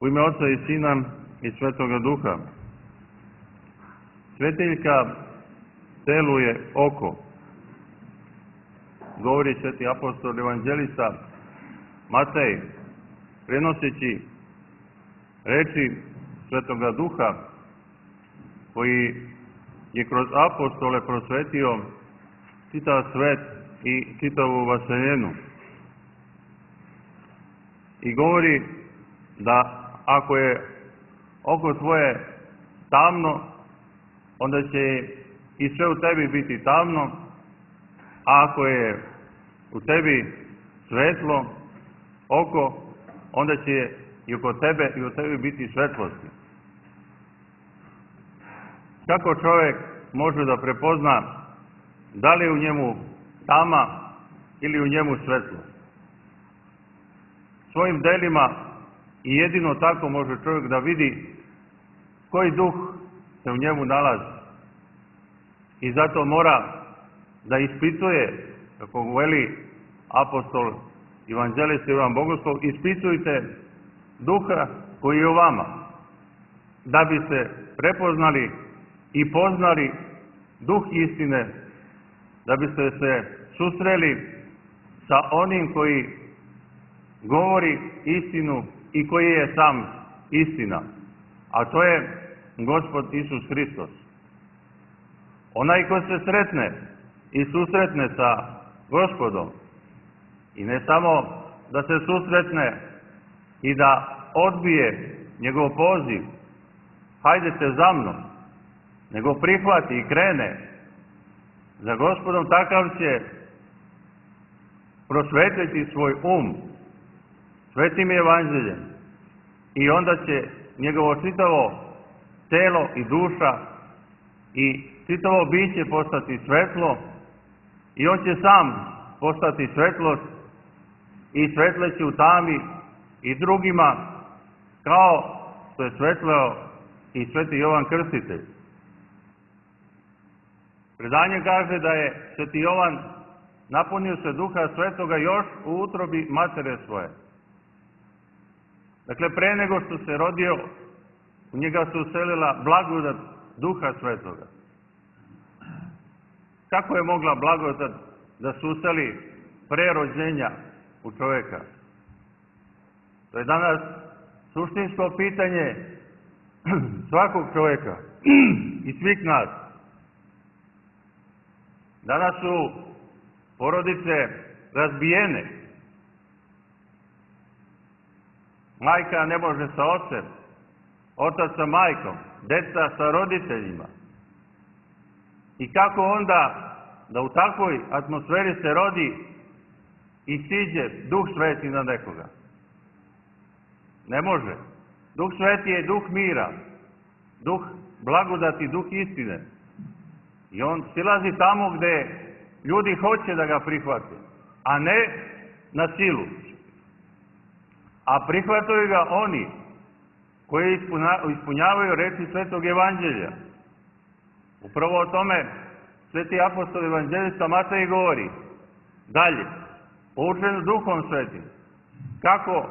U ime Oca i Sina i Svetoga Duha. Svetiljka telu je oko, govori sveti apostol evanđelista Matej, prenoseći reči Svetoga Duha, koji je kroz apostole prosvetio čitav svet i čitavu vaseljenu. I govori da ako je oko tvoje tamno, onda će i sve u tebi biti tamno, a ako je u tebi svetlo oko, onda će i oko tebe i u tebi biti svetlosti. Kako čovjek može da prepozna da li je u njemu tama ili u njemu svetlo? Svojim delima i jedino tako može čovjek da vidi koji duh se u njemu nalazi. I zato mora da ispituje, kako veli apostol evanđelista Ivan Bogoslov, ispitujte duha koji je u vama, da bi se prepoznali i poznali duh istine, da biste se susreli sa onim koji govori istinu i koji je sam istina, a to je Gospod Isus Hristos. Onaj ko se sretne i susretne sa Gospodom, i ne samo da se susretne i da odbije njegov poziv, hajdete za mnom, nego prihvati i krene za Gospodom, takav će prosvetiti svoj um svetim evanđeljem i onda će njegovo čitavo telo i duša i čitavo biće postati svetlo i on će sam postati svetlost i svetleći u tami i drugima, kao što je svetleo i sveti Jovan Krstitelj. Predanje kaže da je sveti Jovan napunio se Duha Svetoga još u utrobi matere svoje. Dakle, pre nego što se rodio, u njega se uselila blagodat Duha Svetoga. Kako je mogla blagodat da se useli pre rođenja u čoveka? To je danas suštinsko pitanje svakog čoveka i svih nas. Danas su porodice razbijene. Majka ne može sa ocem, otac sa majkom, deca sa roditeljima. I kako onda da u takvoj atmosferi se rodi i siđe Duh Sveti na nekoga? Ne može. Duh Sveti je duh mira, duh blagodati, duh istine. I on silazi tamo gde ljudi hoće da ga prihvate, a ne na silu. A prihvataju ga oni koji ispunjavaju reči Svetog Evanđelja. Upravo o tome sveti apostol evanđelista Matej govori dalje, poučen Duhom Svetim, kako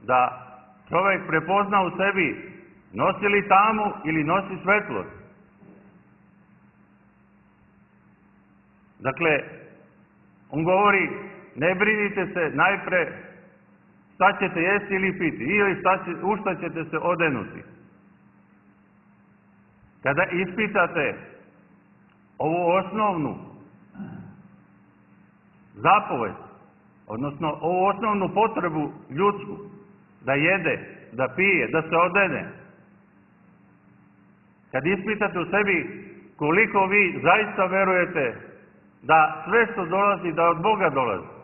da čovjek prepozna u sebi nosi li tamu ili nosi svetlost. Dakle, on govori, ne brinite se najpre šta ćete jesti ili piti, ili u šta ćete se odenuti. Kada ispitate ovu osnovnu zapovest, odnosno ovu osnovnu potrebu ljudsku, da jede, da pije, da se odene, kad ispitate u sebi koliko vi zaista verujete da sve što dolazi, da od Boga dolazi,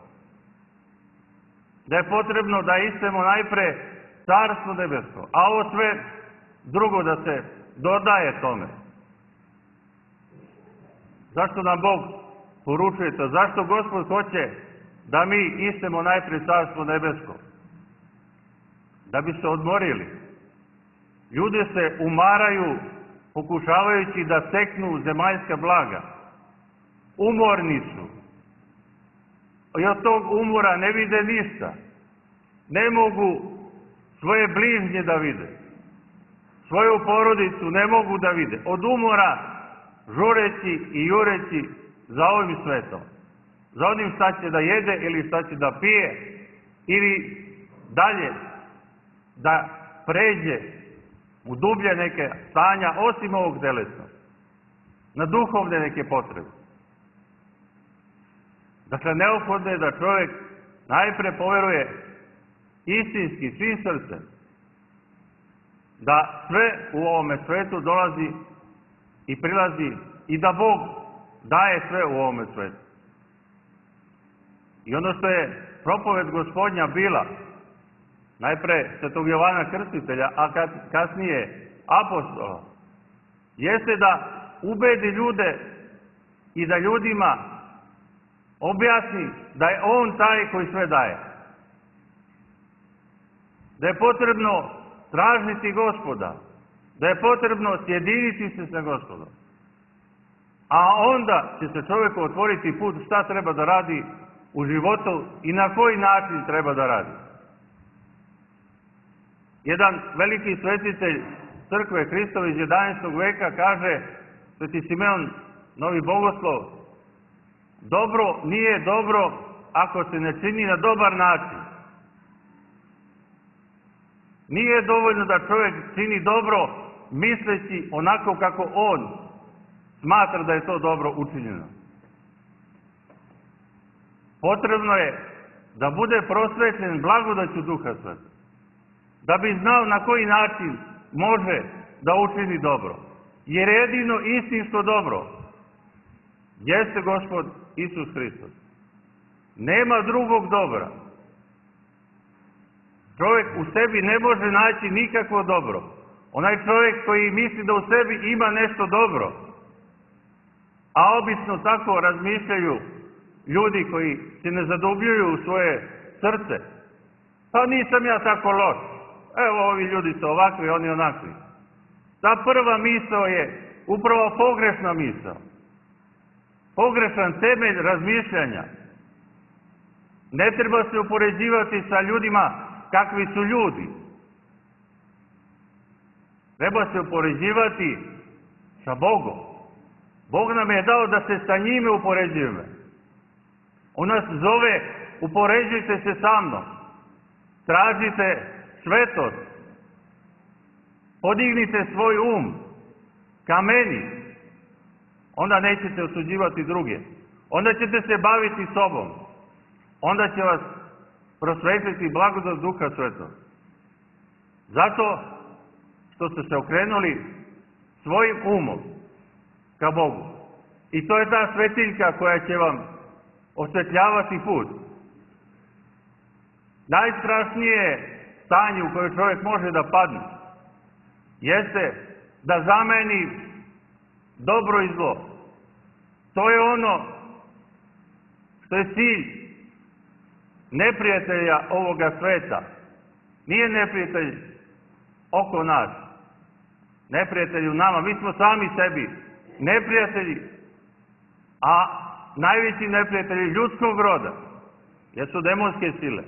da je potrebno da istemo najpre Carstvo nebesko, a ovo sve drugo da se dodaje tome. Zašto nam Bog poručuje to? Zašto Gospod hoće da mi istemo najpre Carstvo nebesko? Da bi se odmorili. Ljudi se umaraju pokušavajući da steknu zemaljska blaga. Umorni su. I od tog umora ne vide ništa. Ne mogu svoje bližnje da vide. Svoju porodicu ne mogu da vide. Od umora, žureći i jureći za ovim svetom. Za onim šta će da jede ili šta će da pije ili dalje da pređe u dublje neke stanja osim ovog telesnog. Na duhovne neke potrebe. Dakle, neophodno je da čovjek najpre poveruje istinski, svim srcem, da sve u ovome svetu dolazi i prilazi i da Bog daje sve u ovome svetu. I ono što je propoved Gospodnja bila, najpre svetog Jovana Krstitelja, a kasnije apostola, jeste da ubedi ljude i da ljudima objasni da je On taj koji sve daje. Da je potrebno tražiti Gospoda, da je potrebno sjediniti se sa Gospodom. A onda će se čovjeku otvoriti put šta treba da radi u životu i na koji način treba da radi. Jedan veliki svetitelj crkve Hristove iz 11. veka kaže, sveti Simeon, novi bogoslov, dobro nije dobro ako se ne čini na dobar način. Nije dovoljno da čovjek čini dobro misleći onako kako on smatra da je to dobro učinjeno. Potrebno je da bude prosvećen blagodaću Duha Svetog, da bi znao na koji način može da učini dobro. Jer jedino istinsko dobro jeste Gospod Isus Hristos. Nema drugog dobra. Čovjek u sebi ne može naći nikakvo dobro. Onaj čovjek koji misli da u sebi ima nešto dobro, a obično tako razmišljaju ljudi koji se ne zadubljuju u svoje srce. Pa nisam ja tako loš. Evo, ovi ljudi su ovakvi, oni onakvi. Ta prva misao je upravo pogrešna misao. Pogrešan temelj razmišljanja. Ne treba se upoređivati sa ljudima kakvi su ljudi. Treba se upoređivati sa Bogom. Bog nam je dao da se sa njime upoređujemo. On nas zove, upoređujte se sa mnom. Tražite svetost. Podignite svoj um ka meni. Onda nećete osuđivati druge. Onda ćete se baviti sobom. Onda će vas prosvetiti blagodat Duha Svetog. Zato što ste se okrenuli svojim umom ka Bogu. I to je ta svetiljka koja će vam osvetljavati put. Najstrašnije stanje u koje čovjek može da padne jeste da zameni dobro i zlo. To je ono što je cilj neprijatelja ovoga sveta. Nije neprijatelj oko nas. Neprijatelj u nama. Mi smo sami sebi neprijatelji, a najveći neprijatelji ljudskog roda jesu demonske sile.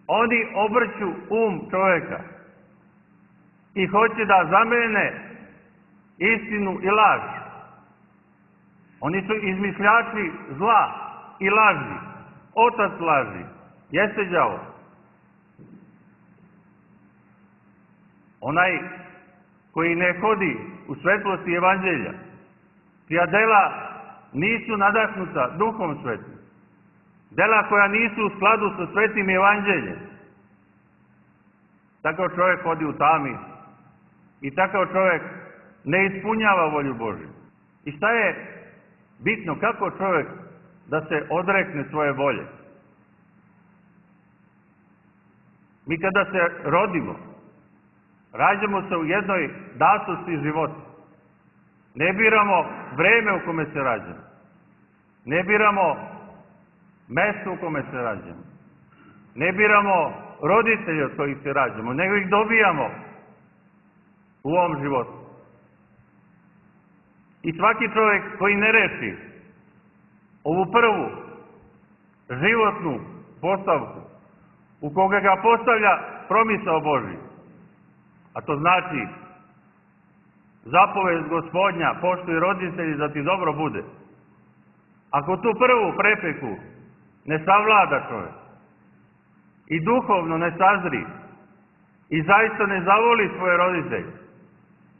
Oni obrću um čovjeka i hoće da zamene istinu i laž. Oni su izmišljači zla i laži. Otac laži jeste đavo. Onaj koji ne hodi u svetlosti evanđelja, čija dela nisu nadahnuta Duhom Svetim, dela koja nisu u skladu sa svetim evanđeljem, takav čovjek hodi u tami i takav čovjek ne ispunjava volju Božju. I šta je bitno, kako čovjek da se odrekne svoje volje? Mi kada se rodimo, rađamo se u jednoj datosti života. Ne biramo vreme u kome se rađamo. Ne biramo mesto u kome se rađamo. Ne biramo roditelje od kojih se rađamo, nego ih dobijamo u ovom životu. I svaki čovjek koji ne reši ovu prvu životnu postavku, u koga ga postavlja promisao Božji. A to znači zapovest Gospodnja, poštuj roditelji da ti dobro bude. Ako tu prvu prepreku ne savlada čovjek i duhovno ne sazri i zaista ne zavoli svoje roditelje,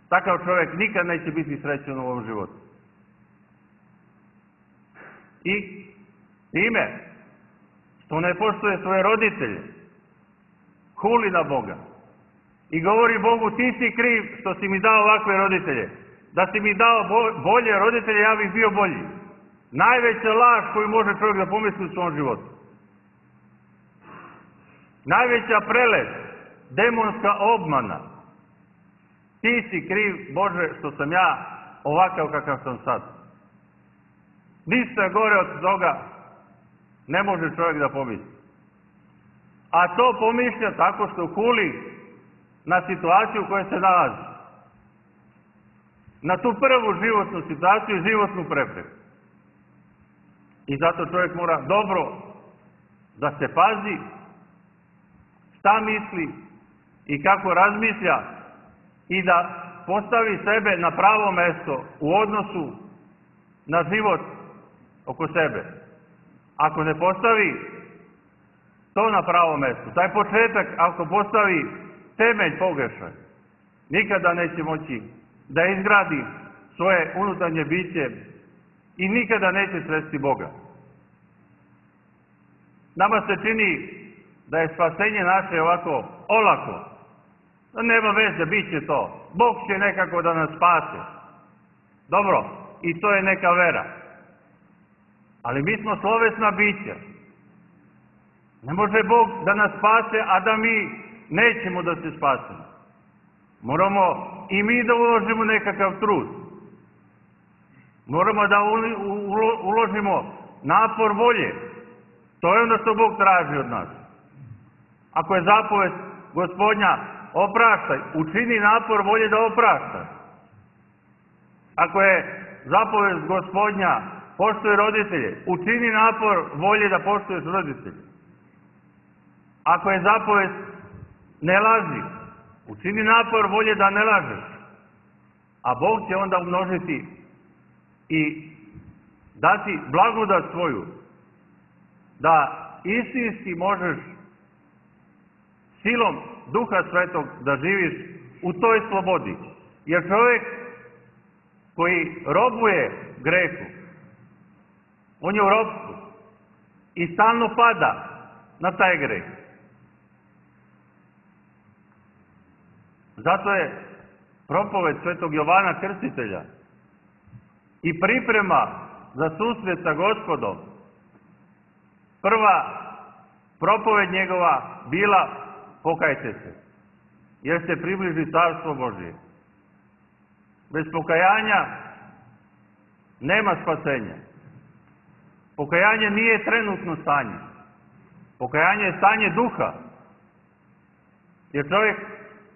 takav čovjek nikad neće biti srećan u ovom životu. I time što ne poštuje svoje roditelje, huli na Boga i govori Bogu, ti si kriv što si mi dao ovakve roditelje. Da si mi dao bolje roditelje, ja bih bio bolji. Najveća laž koju može čovjek da pomisli u svom životu. Najveća prelest, demonska obmana. Ti si kriv, Bože, što sam ja ovakav kakav sam sad. Ništa gore od toga ne može čovjek da pomisli. A to pomišlja tako što huli na situaciju u kojoj se nalazi. Na tu prvu životnu situaciju i životnu prepreku. I zato čovjek mora dobro da se pazi šta misli i kako razmišlja i da postavi sebe na pravo mesto u odnosu na život oko sebe. Ako ne postavi to na pravo mesto, taj početak ako postavi temelj pogrešan, nikada neće moći da izgradi svoje unutarnje biće i nikada neće sresti Boga. Nama se čini da je spasenje naše ovako olako. Nema veze, bit će to. Bog će nekako da nas spase. Dobro, i to je neka vera. Ali mi smo slovesna bića. Ne može Bog da nas spase, a da mi nećemo da se spasemo. Moramo i mi da uložimo nekakav trud. Moramo da uložimo napor volje. To je ono što Bog traži od nas. Ako je zapovest Gospodnja opraštaj, učini napor volje da opraštaj. Ako je zapovest Gospodnja poštuj roditelje, učini napor volje da poštuješ roditelje. Ako je zapovest ne laži, učini napor volje da ne lažeš. A Bog će onda umnožiti i dati blagodat svoju da istinski možeš silom Duha Svetog da živiš u toj slobodi. Jer čovjek koji robuje grehu, on je u ropstvu i stalno pada na taj greh. Zato je propoved Svetog Jovana Krstitelja i priprema za susret sa Gospodom, prva propoved njegova bila pokajte se, jer se približi Carstvo Božje. Bez pokajanja nema spasenja. Pokajanje nije trenutno stanje. Pokajanje je stanje duha. Jer čovjek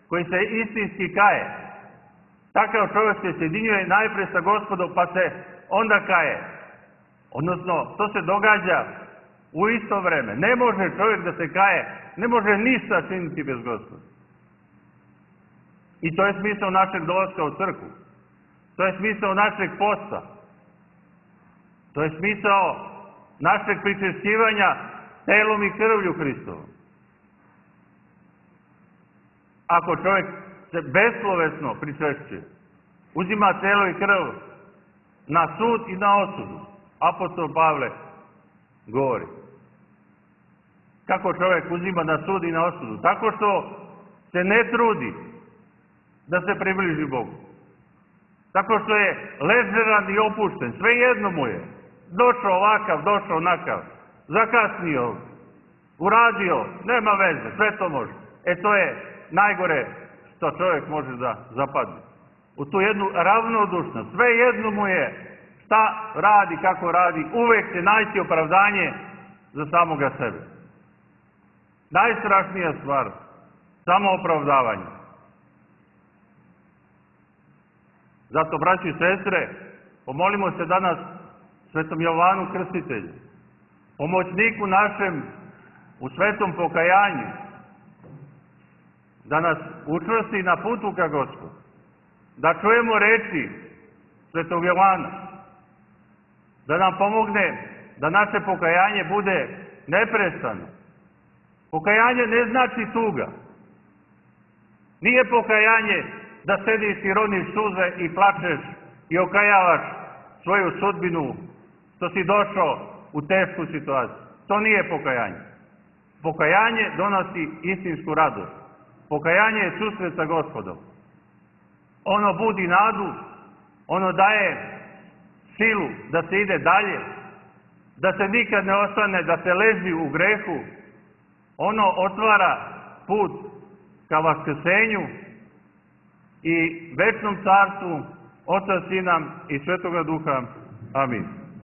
koji se istinski kaje, takav čovjek se sjedinjuje najpre sa Gospodom, pa se onda kaje. Odnosno, to se događa u isto vreme. Ne može čovjek da se kaje, ne može ništa činiti bez Gospoda. I to je smisao našeg dolaska u crkvu. To je smisao našeg posta. To je smisao našeg pričešćivanja telom i krvlju Hristovom. Ako čovjek se beslovesno pričešćuje, uzima telo i krv na sud i na osudu, apostol Pavle govori. Kako čovjek uzima na sud i na osudu? Tako što se ne trudi da se približi Bogu. Tako što je ležeran i opušten. Sve jedno mu je. Došao ovakav, došao onakav. Zakasnio, uradio, nema veze, sve to može. To je najgore što čovjek može da zapadne. U tu jednu ravnodušnost. Sve jedno mu je šta radi, kako radi. Uvek će naći opravdanje za samoga sebe. Najstrašnija stvar, samo opravdavanje. Zato, braći i sestre, pomolimo se danas Svetom Jovanu Krstitelju, pomoćniku našem u svetom pokajanju, da nas učvrsti na putu ka Gospodu, da čujemo reči Svetog Jovana, da nam pomogne da naše pokajanje bude neprestano. Pokajanje ne znači tuga. Nije pokajanje da sediš i roniš suze i plačeš i okajavaš svoju sudbinu što si došao u tešku situaciju. To nije pokajanje. Pokajanje donosi istinsku radost. Pokajanje je susret sa Gospodom. Ono budi nadu, ono daje silu da se ide dalje, da se nikad ne ostane, da se leži u grehu. Ono otvara put ka vaskrsenju i večnom carstvu Oca, Sina i Svetoga Duha. Amin.